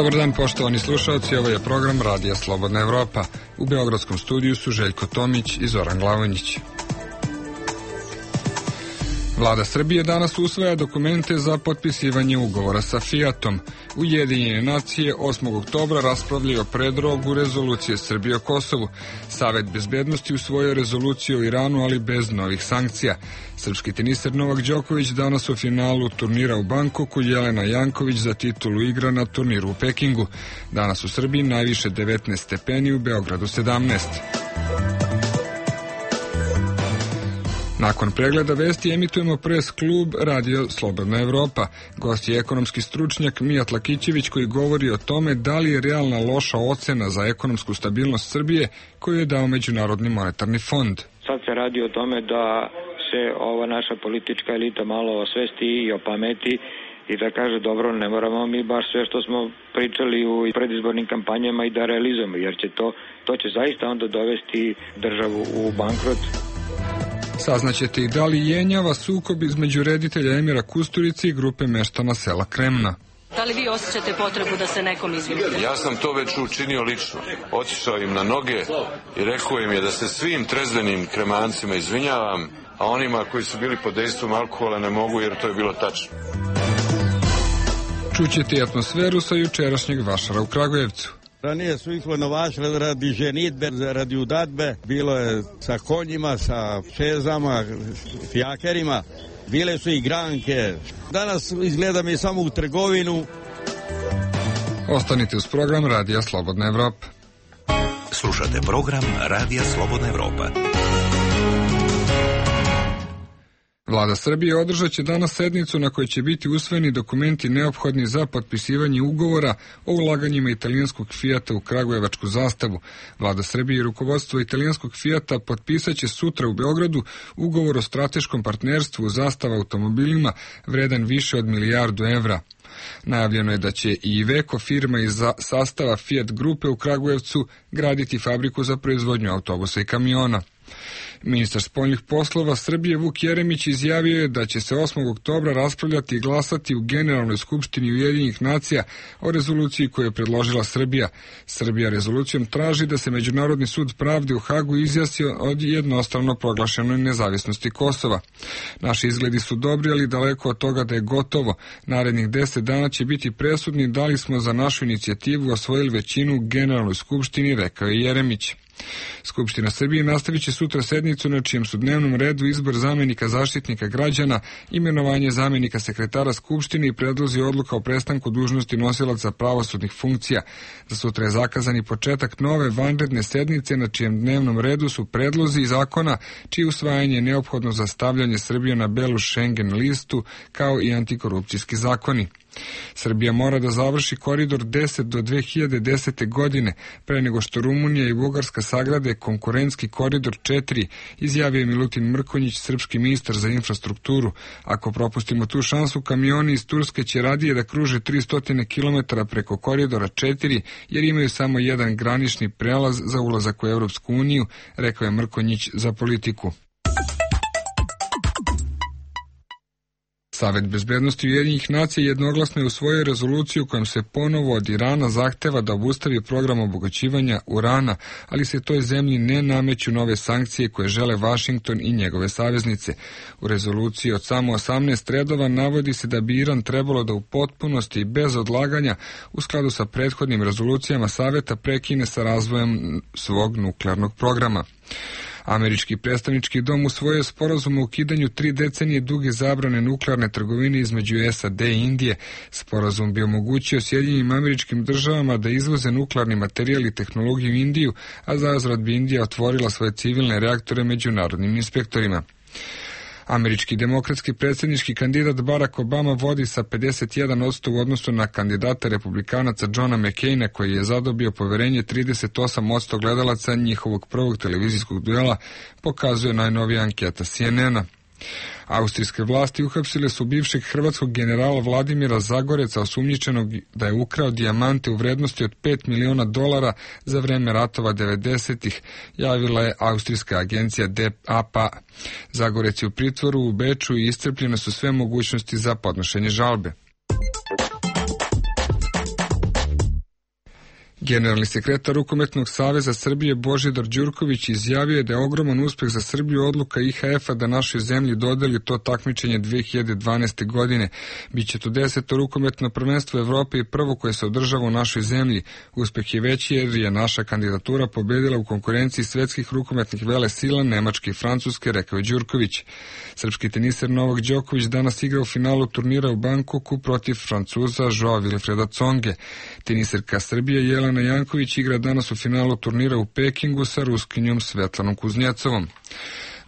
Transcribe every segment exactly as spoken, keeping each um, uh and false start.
Dobar dan, poštovani slušalci, ovo je program Radija Slobodna Evropa. U beogradskom studiju su Željko Tomić i Zoran Glavonjić. Vlada Srbije danas usvaja dokumente za potpisivanje ugovora sa Fijatom. Ujedinjene nacije osmog oktobra raspravljaju o predlogu rezolucije Srbije o Kosovu. Savet bezbednosti usvojio rezoluciju o Iranu, ali bez novih sankcija. Srpski teniser Novak Đoković danas u finalu turnira u Bankoku, Jelena Janković za titulu igra na turniru u Pekingu. Danas u Srbiji najviše devetnaest stepeni, u Beogradu sedamnaest. Nakon pregleda vesti emitujemo pres klub Radio Slobodna Evropa. Gost je ekonomski stručnjak Mijat Lakićević koji govori o tome da li je realna loša ocena za ekonomsku stabilnost Srbije koju je dao Međunarodni monetarni fond. Sad se radi o tome da se ova naša politička elita malo osvesti i opameti i da kaže dobro, ne moramo mi baš sve što smo pričali u predizbornim kampanjama i da realizujemo, jer će to, to će zaista onda dovesti državu u bankrot. Saznaćete i da li jenjava sukob između reditelja Emira Kusturice i grupe meštana sela Kremna. Da li vi osjećate potrebu da se nekom izvinite? Ja sam to već učinio lično. Otišao im na noge i rekao im je da se svim trezvenim kremancima izvinjavam, a onima koji su bili pod dejstvom alkohola ne mogu, jer to je bilo tačno. Čućete i atmosferu sa jučerašnjeg vašara u Kragujevcu. Ranije su ih novašle radi ženitbe, radi udadbe, bilo je sa konjima, sa pšezama, fijakerima, bile su i granke. Danas izgleda mi samo u trgovinu. Ostanite uz program Radija Slobodna Evropa. Slušate program Radija Slobodna Evropa. Vlada Srbije održat će danas sednicu na kojoj će biti usvojeni dokumenti neophodni za potpisivanje ugovora o ulaganjima italijanskog Fijata u Kragujevačku zastavu. Vlada Srbije i rukovodstvo italijanskog Fijata potpisat će sutra u Beogradu ugovor o strateškom partnerstvu Zastava automobilima vredan više od milijardu evra. Najavljeno je da će i Iveco, firma iz sastava Fiat grupe u Kragujevcu, graditi fabriku za proizvodnju autobusa i kamiona. Ministar spoljnih poslova Srbije Vuk Jeremić izjavio je da će se osmog oktobra raspravljati i glasati u Generalnoj skupštini Ujedinjenih nacija o rezoluciji koju je predložila Srbija. Srbija rezolucijom traži da se Međunarodni sud pravde u Hagu izjasni od jednostrano proglašenoj nezavisnosti Kosova. Naši izgledi su dobri, ali daleko od toga da je gotovo. Narednih deset dana će biti presudni da li smo za našu inicijativu osvojili većinu u Generalnoj skupštini, rekao je Jeremić. Skupština Srbije nastavit će sutra sednicu na čijem su dnevnom redu izbor zamenika Zaštitnika građana, imenovanje zamenika sekretara Skupštine i predlozi odluka o prestanku dužnosti nosilaca pravosudnih funkcija. Za sutra je zakazan i početak nove vanredne sednice na čijem dnevnom redu su predlozi zakona čije usvajanje je neophodno za stavljanje Srbije na belu Schengen listu kao i antikorupcijski zakoni. Srbija mora da završi koridor deset do dve hiljade desete. godine, pre nego što Rumunija i Bugarska sagrade konkurentski koridor četiri, izjavio je Milutin Mrkonjić, srpski ministar za infrastrukturu. Ako propustimo tu šansu, kamioni iz Turske će radije da kruže tristo kilometara preko koridora četiri, jer imaju samo jedan granični prelaz za ulazak u Evropsku uniju, rekao je Mrkonjić za Politiku. Savet bezbednosti Ujedinjenih nacija jednoglasno je usvojio rezoluciju kojom se ponovo od Irana zahteva da obustavi program obogaćivanja urana, ali se toj zemlji ne nameću nove sankcije koje žele Vašington i njegove saveznice. U rezoluciji od samo osamnaest redova navodi se da bi Iran trebalo da u potpunosti i bez odlaganja u skladu sa prethodnim rezolucijama Saveta prekine sa razvojem svog nuklearnog programa. Američki predstavnički dom usvojio sporazum o ukidanju tri decenije duge zabrane nuklearne trgovine između S A D i Indije. Sporazum bi omogućio Sjedinjenim Američkim Državama da izvoze nuklearni materijal i tehnologiju u Indiju, a zauzvrat bi Indija otvorila svoje civilne reaktore međunarodnim inspektorima. Američki demokratski predsjednički kandidat Barack Obama vodi sa pedeset jedan posto u odnosu na kandidata republikanaca Johna McCaina, koji je zadobio poverenje trideset osam posto gledalaca njihovog prvog televizijskog duela, pokazuje najnovija anketa C N N-a. Austrijske vlasti uhapsile su bivšeg hrvatskog generala Vladimira Zagoreca, osumnjičenog da je ukrao dijamante u vrednosti od pet miliona dolara za vreme ratova devedesetih, javila je austrijska agencija D A P A. Zagorec je u pritvoru u Beču i iscrpljene su sve mogućnosti za podnošenje žalbe. Generalni sekretar Rukometnog saveza Srbije Božidar Đurković izjavio je da je ogroman uspeh za Srbiju odluka I H F-a da našoj zemlji dodeli to takmičenje dve hiljade dvanaeste. godine. Biće to deseto rukometno prvenstvo Evrope i prvo koje se održava u našoj zemlji. Uspeh je veći jer je naša kandidatura pobedila u konkurenciji svetskih rukometnih velesila Nemačke i Francuske, rekao je Đurković. Srpski teniser Novak Đoković danas igra u finalu turnira u Bankoku protiv Francuza Joao Wilfreda Tsonge. Teniserka Srbije Jelena Janković igra danas u finalu turnira u Pekingu sa Ruskinjom Svetlanom Kuznjecovom.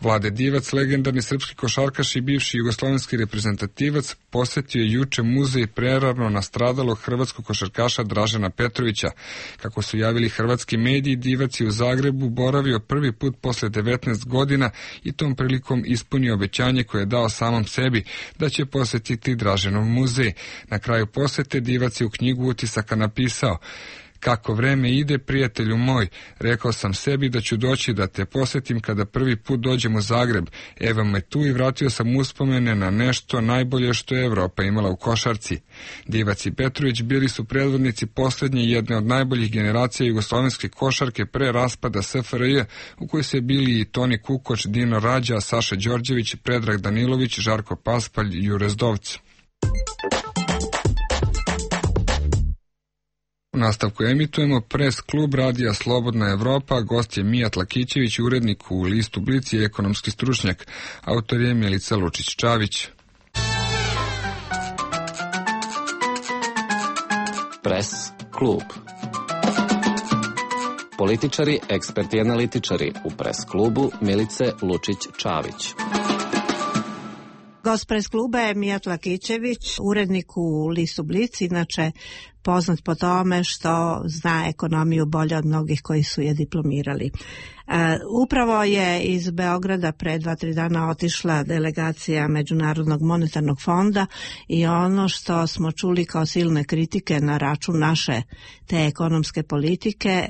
Vlade Divac, legendarni srpski košarkaš i bivši jugoslovenski reprezentativac, posetio je juče muzej prerano nastradalog hrvatskog košarkaša Dražena Petrovića. Kako su javili hrvatski mediji, Divac je u Zagrebu boravio prvi put posle devetnaest godina i tom prilikom ispunio obećanje koje je dao samom sebi da će posetiti Draženov muzej. Na kraju posete Divac je u knjigu utisaka napisao: "Kako vreme ide, prijatelju moj, rekao sam sebi da ću doći da te posetim kada prvi put dođem u Zagreb. Evo me tu i vratio sam uspomene na nešto najbolje što je Evropa imala u košarci." Divac i Petrović bili su predvodnici poslednje jedne od najboljih generacija jugoslovenske košarke pre raspada S F R J, u kojoj se bili i Toni Kukoč, Dino Rađa, Saša Đorđević, Predrag Danilović, Žarko Paspalj i Jure Zdovc. U nastavku emitujemo Pres klub Radija Slobodna Evropa, gost je Mijat Lakićević, urednik u listu Blic i ekonomski stručnjak. Autor je Milica Lučić-Čavić. Pres klub. Političari, eksperti i analitičari u Pres klubu Milice Lučić-Čavić. Gost Pres kluba je Mijat Lakićević, urednik u listu Blic, inače poznat po tome što zna ekonomiju bolje od mnogih koji su je diplomirali. E, upravo je iz Beograda pre dva, tri dana otišla delegacija Međunarodnog monetarnog fonda i ono što smo čuli kao silne kritike na račun naše te ekonomske politike e,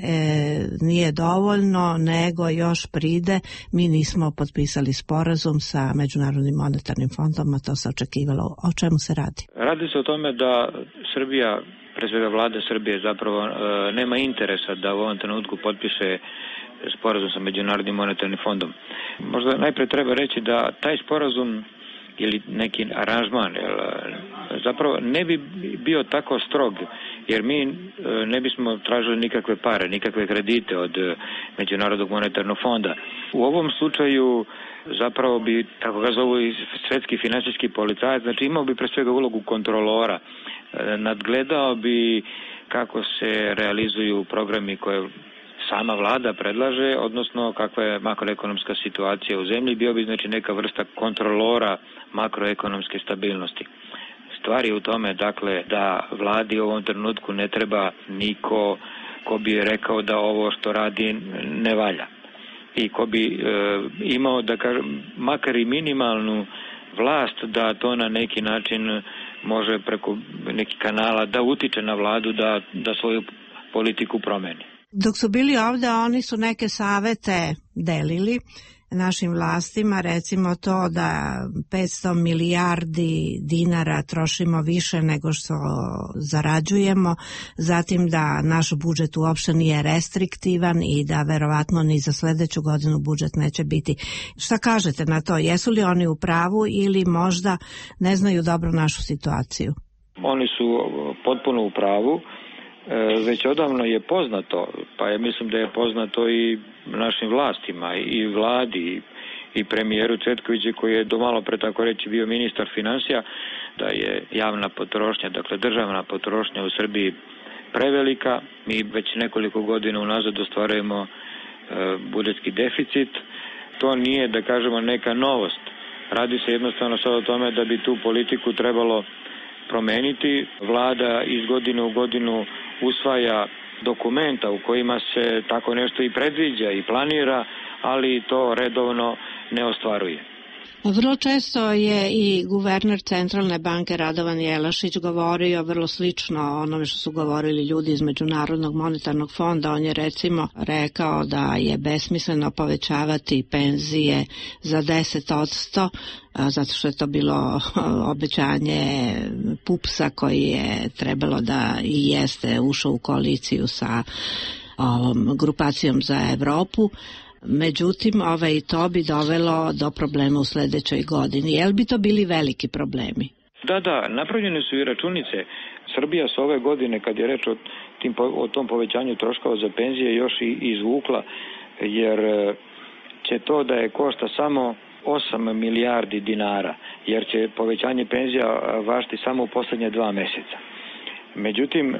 nije dovoljno, nego još pride, mi nismo potpisali sporazum sa Međunarodnim monetarnim fondom, a to se očekivalo. O čemu se radi? Radi se o tome da Srbija, pre svega vlada Srbije, zapravo e, nema interesa da u ovom trenutku potpiše sporazum sa Međunarodnim monetarnim fondom. Možda najpre treba reći da taj sporazum ili neki aranžman jel, zapravo ne bi bio tako strog, jer mi e, ne bismo tražili nikakve pare, nikakve kredite od Međunarodnog monetarnog fonda. U ovom slučaju zapravo bi, tako ga zovu i svetski finansijski policajac, znači imao bi pre svega ulogu kontrolora, nadgledao bi kako se realizuju programi koje sama vlada predlaže, odnosno kakva je makroekonomska situacija u zemlji, bio bi znači neka vrsta kontrolora makroekonomske stabilnosti. Stvar je u tome, dakle, da vladi u ovom trenutku ne treba niko ko bi rekao da ovo što radi ne valja i ko bi e, imao, da kažem, makar i minimalnu vlast da to na neki način može preko nekih kanala da utiče na vladu da, da svoju politiku promeni. Dok su bili ovde, oni su neke savete delili našim vlastima, recimo to da petsto milijardi dinara trošimo više nego što zarađujemo, zatim da naš budžet uopšte nije restriktivan i da verovatno ni za sledeću godinu budžet neće biti. Šta kažete na to? Jesu li oni u pravu ili možda ne znaju dobro našu situaciju? Oni su potpuno u pravu. Već odavno je poznato, pa ja mislim da je poznato i našim vlastima i vladi i premijeru Cvetkoviću koji je do malo pre, tako reći, bio ministar finansija, da je javna potrošnja, dakle državna potrošnja u Srbiji prevelika. Mi već nekoliko godina unazad ostvarujemo e, budžetski deficit. To nije, da kažemo, neka novost. Radi se jednostavno sad o tome da bi tu politiku trebalo promeniti. Vlada iz godine u godinu usvaja dokumenta u kojima se tako nešto i predviđa i planira, ali to redovno ne ostvaruje. Vrlo često je i guverner Centralne banke Radovan Jelašić govorio vrlo slično o onome što su govorili ljudi iz Međunarodnog monetarnog fonda. On je recimo rekao da je besmisleno povećavati penzije za deset posto, zato što je to bilo obećanje Pupsa koji je trebalo da i jeste ušao u koaliciju sa ovom grupacijom za Evropu. Međutim, ovaj, to bi dovelo do problema u sledećoj godini. Jel bi to bili veliki problemi? Da, da, napravljene su i računice. Srbija s ove godine, kad je reč o, tim, o tom povećanju troškova za penzije, još i izvukla, jer će to da je košta samo osam milijardi dinara, jer će povećanje penzija važiti samo u poslednje dva meseca. Međutim,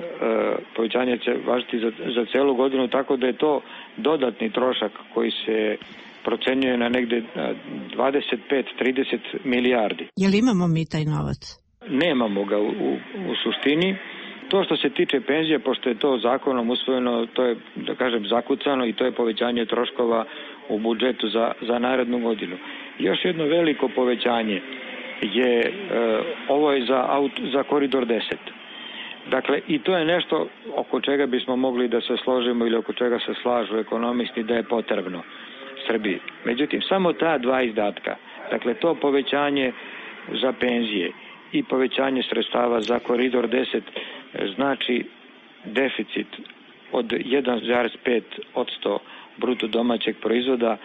povećanje će važiti za, za celu godinu, tako da je to dodatni trošak koji se procenjuje na negde dvadeset pet do trideset milijardi. Je li imamo mi taj novac? Nemamo ga u, u, u suštini. To što se tiče penzije, pošto je to zakonom usvojeno, to je, da kažem, zakucano i to je povećanje troškova u budžetu za, za narednu godinu. Još jedno veliko povećanje je, e, ovo je za, auto, za koridor deset. Dakle, i to je nešto oko čega bismo mogli da se složimo ili oko čega se slažu ekonomisti da je potrebno Srbiji. Međutim, samo ta dva izdatka, dakle to povećanje za penzije i povećanje sredstava za koridor deset znači deficit od jedan zarez pet posto bruto domaćeg proizvoda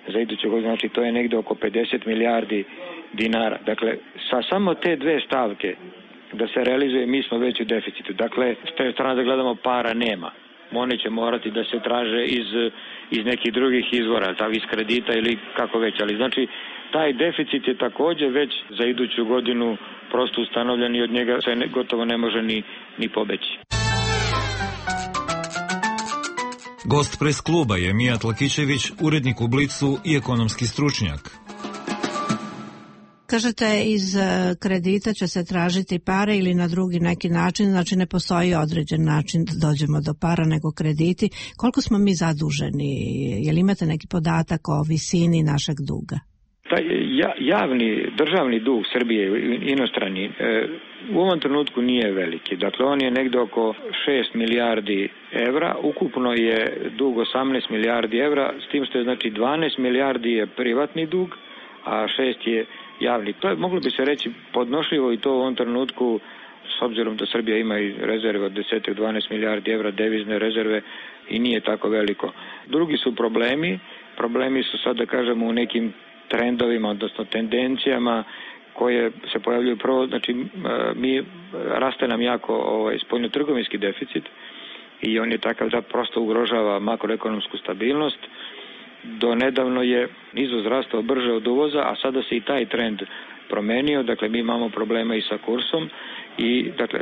za iduću godinu, znači to je negde oko pedeset milijardi dinara. Dakle, sa samo te dve stavke da se realizuje, mi smo već u deficitu. Dakle, s te strane da gledamo, para nema. One će morati da se traže iz, iz nekih drugih izvora, ta iz kredita ili kako već. Ali znači, taj deficit je takođe već za iduću godinu prosto ustanovljen i od njega se ne, gotovo ne može ni, ni pobeći. Gost pres kluba je Mijat Lakićević, urednik u Blicu i ekonomski stručnjak. Kažete, iz kredita će se tražiti pare ili na drugi neki način, znači ne postoji određen način da dođemo do para nego krediti. Koliko smo mi zaduženi? Je li imate neki podatak o visini našeg duga? Taj javni, državni dug Srbije, inostrani, u ovom trenutku nije veliki. Dakle, on je negde oko šest milijardi evra. Ukupno je dug osamnaest milijardi evra, s tim što je znači dvanaest milijardi je privatni dug, a šest je javni. To je, moglo bi se reći, podnošljivo i to u ovom trenutku, s obzirom da Srbija ima i rezerve od deset do dvanaest milijardi evra, devizne rezerve, i nije tako veliko. Drugi su problemi. Problemi su sad, da kažemo, u nekim trendovima, odnosno tendencijama koje se pojavljuju prvo, znači mi raste nam jako ovaj, spoljnotrgovinski deficit i on je takav da prosto ugrožava makroekonomsku stabilnost. Do nedavno je izvoz rastao brže od uvoza, a sada se i taj trend promenio, dakle mi imamo problema i sa kursom i dakle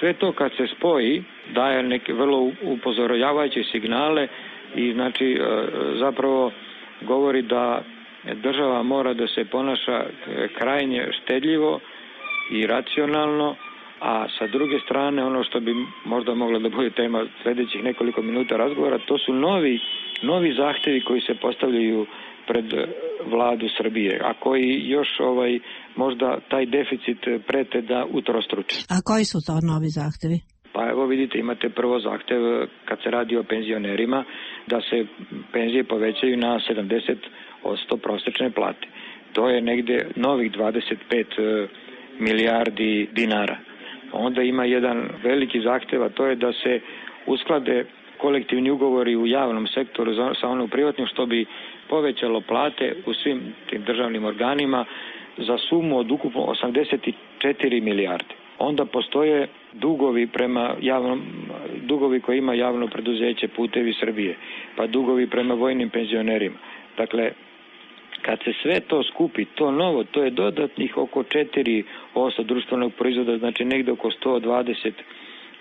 sve to kad se spoji daje neke vrlo upozoravajuće signale i znači zapravo govori da država mora da se ponaša krajnje štedljivo i racionalno, a sa druge strane ono što bi možda mogla da bude tema sledećih nekoliko minuta razgovora, to su novi, novi zahtevi koji se postavljaju pred vladu Srbije, a koji još ovaj možda taj deficit prete da utrostruče. A koji su to novi zahtevi? Pa evo vidite, imate prvo zahtev kad se radi o penzionerima da se penzije povećaju na sedamdeset posto prosečne plate. To je negde novih dvadeset pet milijardi dinara. Onda ima jedan veliki zahtev, a to je da se usklade kolektivni ugovori u javnom sektoru sa onom privatnim, što bi povećalo plate u svim tim državnim organima za sumu od ukupno osamdeset četiri milijarde. Onda postoje dugovi prema javnom, dugovi koje ima javno preduzeće Putevi Srbije, pa dugovi prema vojnim penzionerima. Dakle, kad se sve to skupi, to novo, to je dodatnih oko četiri posto društvenog proizvoda, znači negde oko sto dvadeset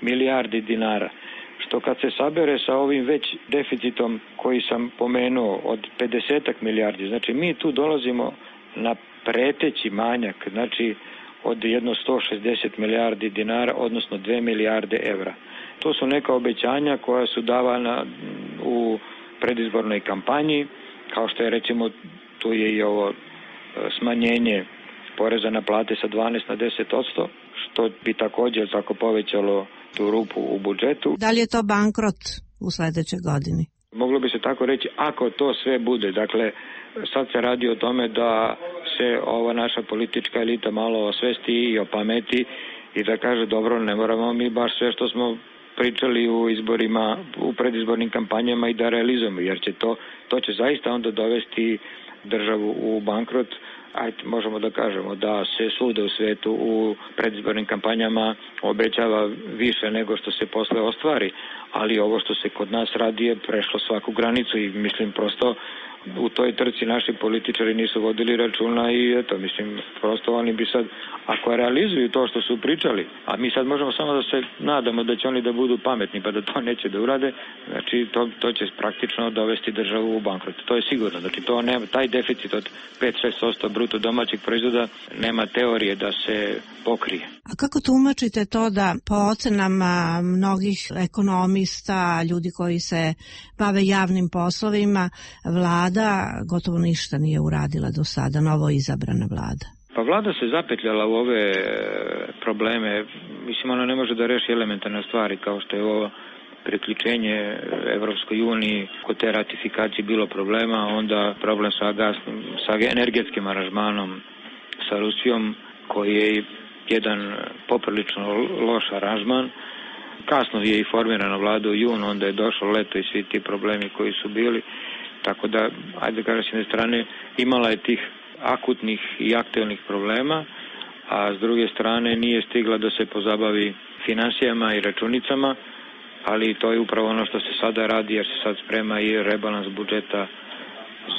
milijardi dinara. Što kad se sabere sa ovim već deficitom koji sam pomenuo od pedeset milijardi, znači mi tu dolazimo na preteći manjak, znači od jedno sto šezdeset milijardi dinara, odnosno dve milijarde evra. To su neka obećanja koja su davana u predizbornoj kampanji, kao što je recimo tu je i ovo smanjenje poreza na plate sa dvanaest na deset posto, što bi također tako povećalo tu rupu u budžetu. Da li je to bankrot u sledećoj godini? Moglo bi se tako reći, ako to sve bude. Dakle, sad se radi o tome da se ova naša politička elita malo osvesti i opameti i da kaže, dobro, ne moramo mi baš sve što smo pričali u izborima, u predizbornim kampanjama i da realizujemo, jer će to, to će zaista onda dovesti državu u bankrot. Ajde, možemo da kažemo da se svuda u svetu u predizbornim kampanjama obećava više nego što se posle ostvari, ali ovo što se kod nas radi je prešlo svaku granicu i mislim prosto u toj trci naši političari nisu vodili računa i eto, mislim, prosto oni bi sad, ako realizuju to što su pričali, a mi sad možemo samo da se nadamo da će oni da budu pametni pa da to neće da urade, znači to, to će praktično dovesti državu u bankrot. To je sigurno, znači to nema, taj deficit od pet do šest posto bruto domaćeg proizvoda nema teorije da se pokrije. A kako tumačite to da po ocenama mnogih ekonomista, ljudi koji se bave javnim poslovima, vlada gotovo ništa nije uradila do sada, novo izabrana vlada? Pa vlada se zapetljala u ove probleme. Mislim, ona ne može da reši elementarne stvari kao što je ovo priključenje Evropskoj uniji. Kod te ratifikacije bilo problema, onda problem sa gasnim, sa energetskim aranžmanom sa Rusijom, koji je jedan poprilično loš aranžman. Kasno je i formirana vlada u junu, onda je došlo leto i svi ti problemi koji su bili. Tako da, ajde kažem, s jedne strane imala je tih akutnih i aktuelnih problema, a s druge strane nije stigla da se pozabavi finansijama i računicama, ali to je upravo ono što se sada radi, jer se sad sprema i rebalans budžeta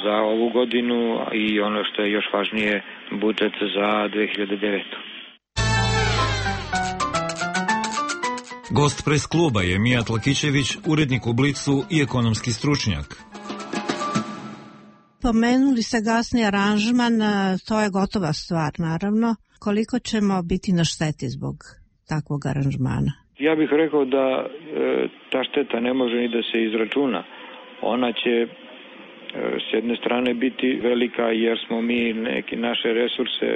za ovu godinu i ono što je još važnije, budžet za dve hiljade devetu. Gost pres kluba je Mijat Lakićević, urednik u Blicu i ekonomski stručnjak. Pomenuli ste gasni aranžman, to je gotova stvar, naravno. Koliko ćemo biti na šteti zbog takvog aranžmana? Ja bih rekao da e, ta šteta ne može ni da se izračuna. Ona će e, s jedne strane biti velika jer smo mi neke naše resurse,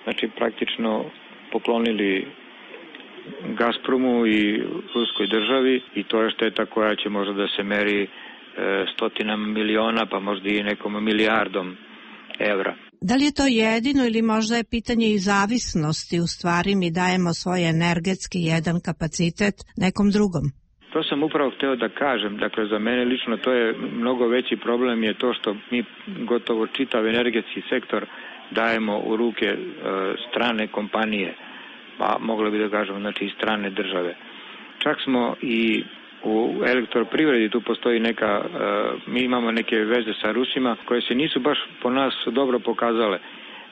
znači praktično poklonili Gazpromu i ruskoj državi i to je šteta koja će možda da se meri e, stotinama miliona, pa možda i nekom milijardom evra. Da li je to jedino ili možda je pitanje i zavisnosti, u stvari mi dajemo svoj energetski jedan kapacitet nekom drugom? To sam upravo hteo da kažem, dakle za mene lično to je mnogo veći problem je to što mi gotovo čitav energetski sektor dajemo u ruke e, strane kompanije, pa mogli bi da kažemo znači i strane države. Čak smo i u elektroprivredi tu postoji neka, uh, mi imamo neke veze sa Rusima koje se nisu baš po nas dobro pokazale.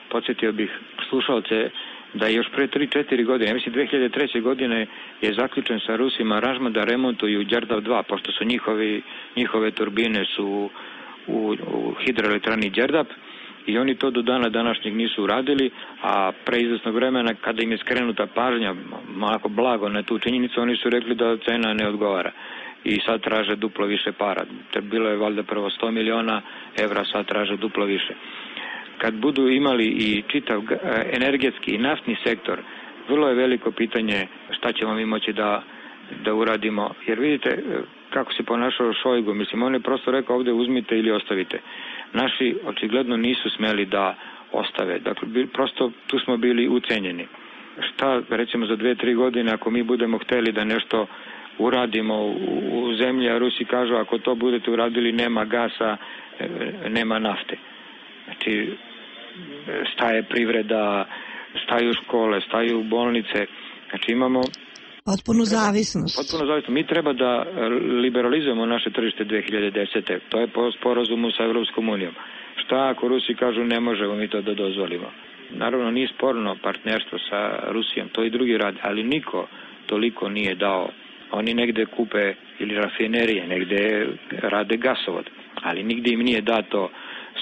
Podsjetio bih slušalce da još pre tri četiri godine, ja mislim dve hiljade treće. godine je zaključen sa Rusima aranžman da remontuju Đerdap dva, pošto su njihovi, njihove turbine su u, u hidroelektrani Đerdap i oni to do dana današnjeg nisu uradili, a pre izvesnog vremena kada im je skrenuta pažnja malako blago na tu činjenicu, oni su rekli da cena ne odgovara i sad traže duplo više para. Te bilo je valjda prvo sto miliona evra, sad traže duplo više. Kad budu imali i čitav energetski i naftni sektor, vrlo je veliko pitanje šta ćemo mi moći da, da uradimo, jer vidite kako se ponašao Šojgu, mislim on je prosto rekao ovde uzmite ili ostavite. Naši očigledno nisu smeli da ostave, dakle prosto tu smo bili ucenjeni. Šta recimo za dve, tri godine ako mi budemo hteli da nešto uradimo u, u zemlji, a Rusi kažu ako to budete uradili nema gasa, nema nafte. Znači staje privreda, staju škole, staju bolnice, znači imamo potpunu zavisnost. Potpuno zavisnost. Mi treba da liberalizujemo naše tržište dve hiljade desete. To je po sporazumu sa Evropskom unijom. Šta ako Rusi kažu ne možemo mi to da dozvolimo? Naravno nije sporno partnerstvo sa Rusijom, to i drugi rade, ali niko toliko nije dao. Oni negde kupe ili rafinerije, negde rade gasovod, ali nigde im nije dato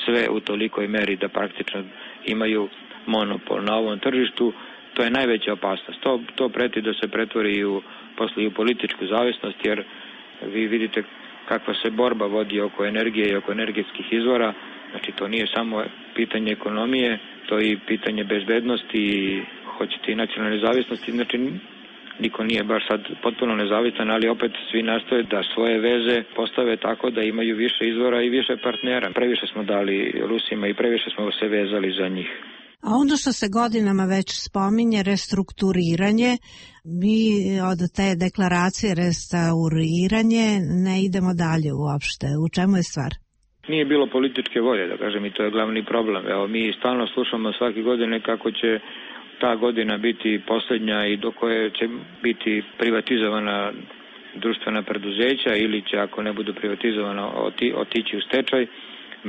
sve u tolikoj meri da praktično imaju monopol na ovom tržištu. To je najveća opasnost. To, to preti da se pretvori u, posle i u političku zavisnost, jer vi vidite kakva se borba vodi oko energije i oko energetskih izvora. Znači to nije samo pitanje ekonomije, to i pitanje bezbednosti i hoćete i nacionalne nezavisnosti, znači niko nije baš sad potpuno nezavistan, ali opet svi nastoje da svoje veze postave tako da imaju više izvora i više partnera. Previše smo dali Rusima i previše smo se vezali za njih. A ono što se godinama već spominje, restrukturiranje, mi od te deklaracije restauriranje ne idemo dalje uopšte. U čemu je stvar? Nije bilo političke volje, da kažem, i to je glavni problem. Evo, mi stalno slušamo svake godine kako će ta godina biti posljednja i do koje će biti privatizovana društvena preduzeća ili će, ako ne budu privatizovana, oti, otići u stečaj.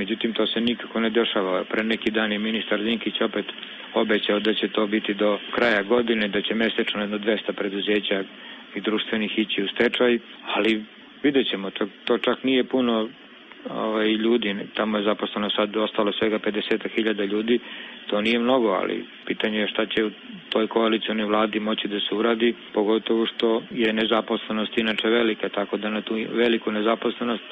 Međutim, to se nikako ne dešava. Pre neki dan je ministar Dinkić opet obećao da će to biti do kraja godine, da će mesečno jedno dvesta preduzeća i društvenih ići u stečaj, ali vidjet ćemo, to, to čak nije puno ovaj, ljudi, tamo je zaposleno sad ostalo svega pedeset hiljada ljudi, to nije mnogo, ali pitanje je šta će u toj koalicionoj vladi moći da se uradi, pogotovo što je nezaposlenost inače velika, tako da na tu veliku nezaposlenost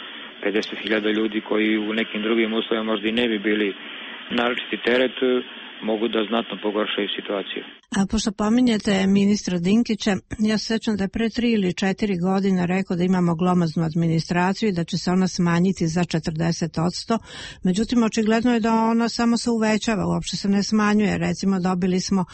pedeset hiljada ljudi koji u nekim drugim uslovima možda i ne bi bili naročiti teret, mogu da znatno pogoršaju situaciju. A pošto pominjete ministra Dinkića, ja se sećam da je pre tri ili četiri godine rekao da imamo glomaznu administraciju i da će se ona smanjiti za četrdeset posto. Međutim, očigledno je da ona samo se uvećava, uopšte se ne smanjuje. Recimo, dobili smo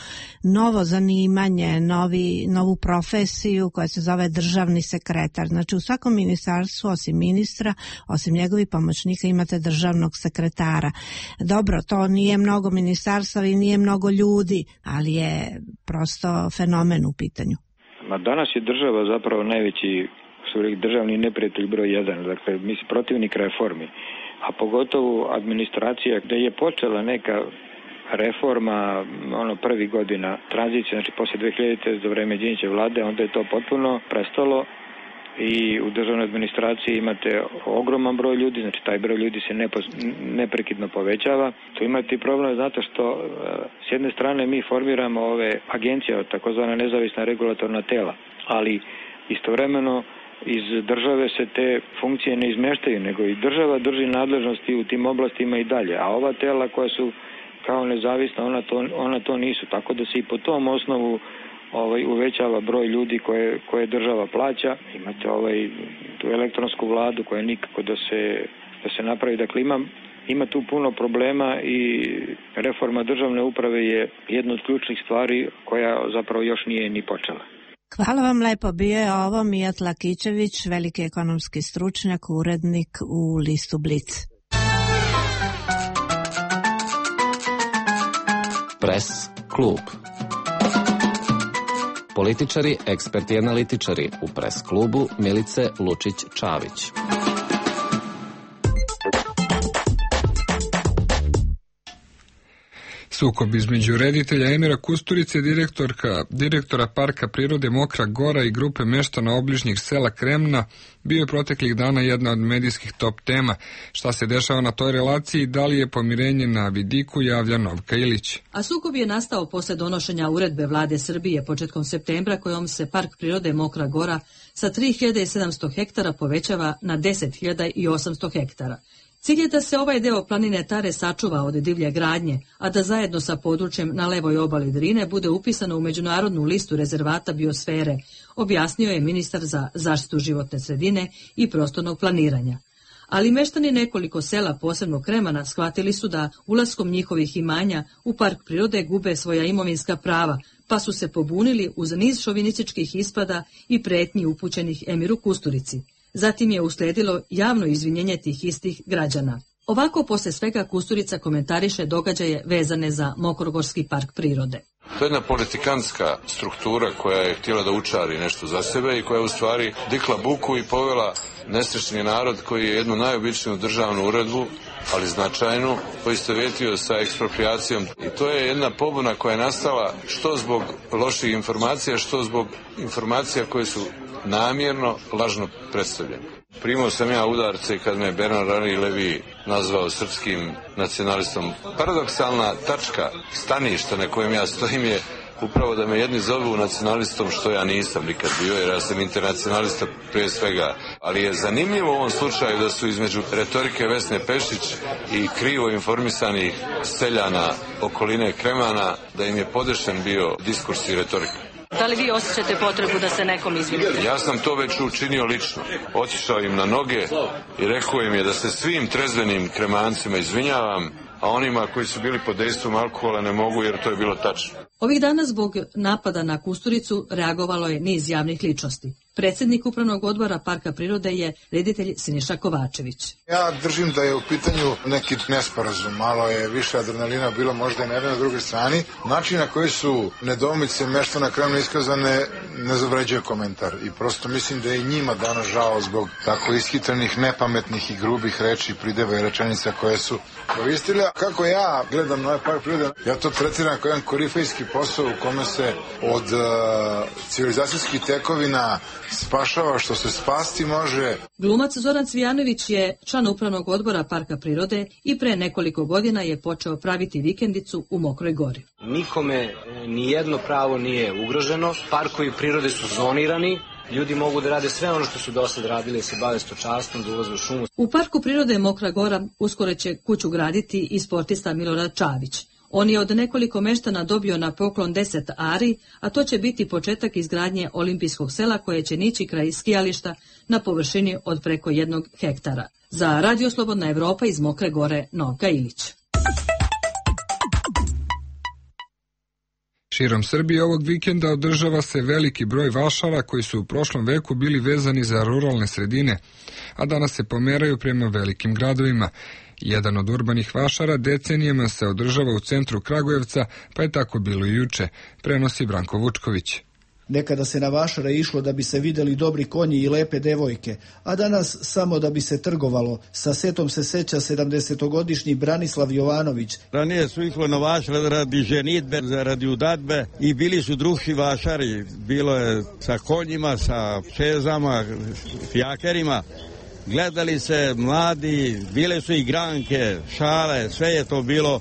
novo zanimanje, novi, novu profesiju koja se zove državni sekretar. Znači, u svakom ministarstvu, osim ministra, osim njegovih pomoćnika, imate državnog sekretara. Dobro, to nije mnogo ministarstva i nije mnogo ljudi, ali je prosto fenomen u pitanju. Ma danas je država zapravo najveći državni neprijatelj broj jedan, dakle mi smo protivnik reformi, a pogotovo administracija gde je počela neka reforma, ono prvi godina tranzicije, znači posle dve hiljadite za vreme Đinđićeve vlade, onda je to potpuno prestalo i u državnoj administraciji imate ogroman broj ljudi, znači taj broj ljudi se nepo, neprekidno povećava. Tu imate i problem zato što s jedne strane mi formiramo ove agencije, takozvana nezavisna regulatorna tela, ali istovremeno iz države se te funkcije ne izmeštaju, nego i država drži nadležnosti u tim oblastima i dalje, a ova tela koja su kao nezavisna, ona to, ona to nisu, tako da se i po tom osnovu ovaj uvećava broj ljudi koje, koje država plaća. Imate ovaj tu elektronsku vladu koja nikako da se, da se napravi. Dakle, ima, ima tu puno problema i reforma državne uprave je jedna od ključnih stvari koja zapravo još nije ni počela. Hvala vam lepo. Bio je ovo Mijat Lakićević, veliki ekonomski stručnjak, urednik u listu Blic. Pres klub. Političari, eksperti i analitičari u Pres klubu Milice Lučić-Čavić. Sukob između reditelja Emira Kusturice, direktorka, direktora Parka prirode Mokra Gora i grupe meštana obližnjih sela Kremna bio je proteklih dana jedna od medijskih top tema. Šta se dešava na toj relaciji, da li je pomirenje na vidiku, javlja Novka Ilić. A sukob je nastao posle donošenja uredbe vlade Srbije početkom septembra kojom se Park prirode Mokra Gora sa tri hiljade sedamsto hektara povećava na deset hiljada osamsto hektara. Cilj je da se ovaj deo planine Tare sačuva od divlje gradnje, a da zajedno sa područjem na levoj obali Drine bude upisano u međunarodnu listu rezervata biosfere, objasnio je ministar za zaštitu životne sredine i prostornog planiranja. Ali meštani nekoliko sela, posebno Kremana, shvatili su da ulaskom njihovih imanja u park prirode gube svoja imovinska prava, pa su se pobunili uz niz šovinističkih ispada i pretnji upućenih Emiru Kusturici. Zatim je usledilo javno izvinjenje tih istih građana. Ovako posle svega Kusturica komentariše događaje vezane za Mokrogorski park prirode. To je jedna politikantska struktura koja je htjela da učari nešto za sebe i koja je u stvari dikla buku i povela nesrećni narod koji je jednu najobičniju državnu uredbu, ali značajnu, poistovjetio sa ekspropriacijom. I to je jedna pobuna koja je nastala što zbog loših informacija, što zbog informacija koje su namjerno lažno predstavljene. Primao sam ja udarce kad me Bernard Henri Lévy nazvao srpskim nacionalistom. Paradoksalna tačka staništa na kojem ja stojim je upravo da me jedni zovu nacionalistom, što ja nisam nikad bio, jer ja sam internacionalista prije svega. Ali je zanimljivo u ovom slučaju da su između retorike Vesne Pešić i krivo informisanih seljana okoline Kremana, da im je podešen bio diskurs i retorika. Da li vi osjećate potrebu da se nekom izvinite? Ja sam to već učinio lično. Otišao im na noge i rekao im je da se svim trezvenim Kremancima izvinjavam, a onima koji su bili pod dejstvom alkohola ne mogu, jer to je bilo tačno. Ovih dana zbog napada na Kusturicu reagovalo je niz javnih ličnosti. Predsjednik Upravnog odbora Parka prirode je reditelj Siniša Kovačević. Ja držim da je u pitanju neki nesporazum, malo je više adrenalina bilo možda i na jednoj na drugoj strani. Način na koji su nedoumice meštana Kremna iskazane ne zavređuje komentar i prosto mislim da je i njima danas žao zbog tako ishitrenih, nepametnih i grubih reči, prideva i rečenica koje su koristili. Kako ja gledam na ovaj Park prirode, ja to tretiram kao jedan korifejski posao u kome se od uh, civilizacijskih tekovina spašava što se spasti može. Glumac Zoran Cvijanović je član Upravnog odbora Parka prirode i pre nekoliko godina je počeo praviti vikendicu u Mokroj Gori. Nikome ni jedno pravo nije ugroženo, parkovi prirode su zonirani, ljudi mogu da rade sve ono što su do sad radili, da se bave stočarstvom, da ulaze u šumu. U Parku prirode Mokra Gora uskoro će kuću graditi i sportista Milorad Čavić. On je od nekoliko meštana dobio na poklon deset ari, a to će biti početak izgradnje olimpijskog sela koje će nići kraj skijališta na površini od preko jednog hektara. Za Radio Slobodna Evropa iz Mokre Gore, Novka Ilić. Širom Srbije ovog vikenda održava se veliki broj vašara koji su u prošlom veku bili vezani za ruralne sredine, a danas se pomeraju prema velikim gradovima. Jedan od urbanih vašara decenijama se održava u centru Kragujevca, pa je tako bilo i juče, prenosi Branko Vučković. Nekada se na vašare išlo da bi se videli dobri konji i lepe devojke, a danas samo da bi se trgovalo. Sa setom se seća sedamdesetogodišnji Branislav Jovanović. Ranije su išlo na vašare radi ženitbe, radi udadbe i bili su drugi vašari. Bilo je sa konjima, sa čezama, fijakerima. Gledali se mladi, bile su igranke, šale, sve je to bilo.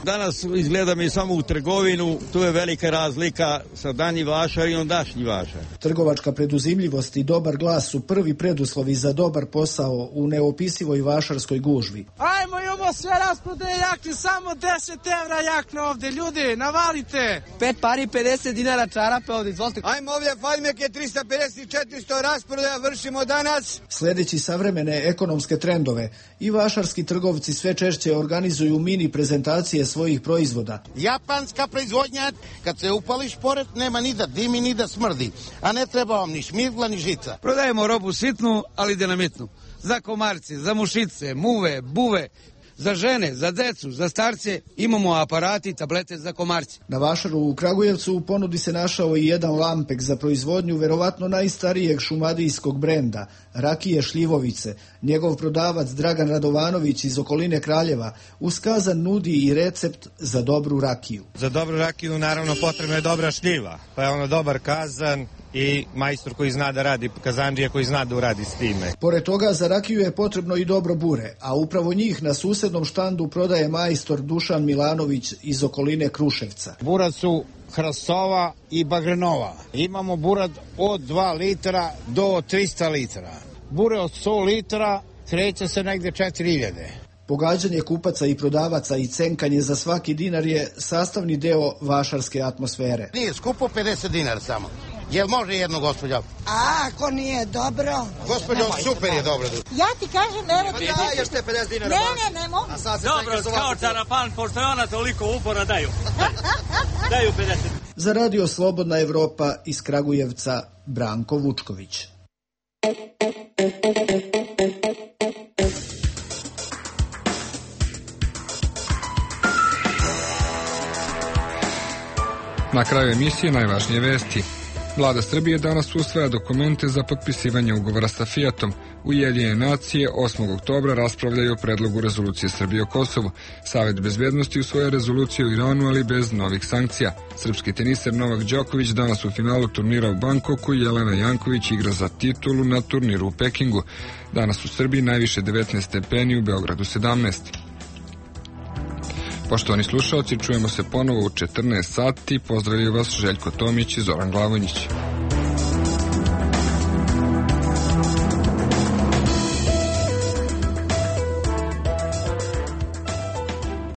Danas izgleda mi samo u trgovinu, tu je velika razlika sa danji vašar i ondašnji vašar. Trgovačka preduzimljivost i dobar glas su prvi preduslovi za dobar posao u neopisivoj vašarskoj gužvi. Ajmo, imamo sve rasprodaje jakne, samo deset evra jakne ovde, ljudi, navalite. Pet pari, pedeset dinara čarape ovde, izvolite. Ajmo ovdje, fajmeke, trista pedeset, četiristo rasprodaja, vršimo danas. Sledeći savremene ekonomske trendove, i vašarski trgovci sve češće organizuju mini prezentacije svojih proizvoda. Japanska proizvodnja, kad se upališ pored, nema ni da dimi, ni da smrdi, a ne treba vam ni šmirgla, ni žica. Prodajemo robu sitnu, ali dinamitnu. Za komarce, za mušice, muve, buve, za žene, za decu, za starce, imamo aparati i tablete za komarce. Na vašaru u Kragujevcu u ponudi se našao i jedan lampek za proizvodnju verovatno najstarijeg šumadijskog brenda, rakije Šljivovice. Njegov prodavac Dragan Radovanović iz okoline Kraljeva uz kazan nudi i recept za dobru rakiju. Za dobru rakiju naravno potrebna je dobra šljiva, pa je ono dobar kazan i majstor koji zna da radi, kazandžija koji zna da uradi s time. Pored toga za rakiju je potrebno i dobro bure, a upravo njih na susednom štandu prodaje majstor Dušan Milanović iz okoline Kruševca. Burad su hrastova i bagrenova. Imamo burad od dva litra do trista litara. Bure od sto litara kreće se negde četiri hiljade. Pogađanje kupaca i prodavaca i cenkanje za svaki dinar je sastavni deo vašarske atmosfere. Nije skupo, pedeset dinara samo. Jel može jedno, gospođo? A, ako nije dobro... Gospođo, super je dobro. Ja ti kažem, evo ti... Ja, još te pedeset dinara. Ne, ne, ne mogu. Dobro, kao Čarafan, pošto je ona toliko upora, daju. Daju pedeset. Za Radio Slobodna Evropa iz Kragujevca, Branko Vučković. Na kraju emisije najvažnije vesti. Vlada Srbije danas usvaja dokumente za potpisivanje ugovora sa Fijatom. Ujedinjene nacije osmog oktobra raspravljaju o predlogu rezolucije Srbije o Kosovu. Savet bezbednosti usvoja rezoluciju o Iranu, ali bez novih sankcija. Srpski teniser Novak Đoković danas u finalu turnira u Bankoku, Jelena Janković igra za titulu na turniru u Pekingu. Danas u Srbiji najviše devetnaest stepeni, u Beogradu sedamnaest. Poštovani slušalci, čujemo se ponovo u četrnaest sati. Pozdravljaju vas Željko Tomić i Zoran Glavonjić.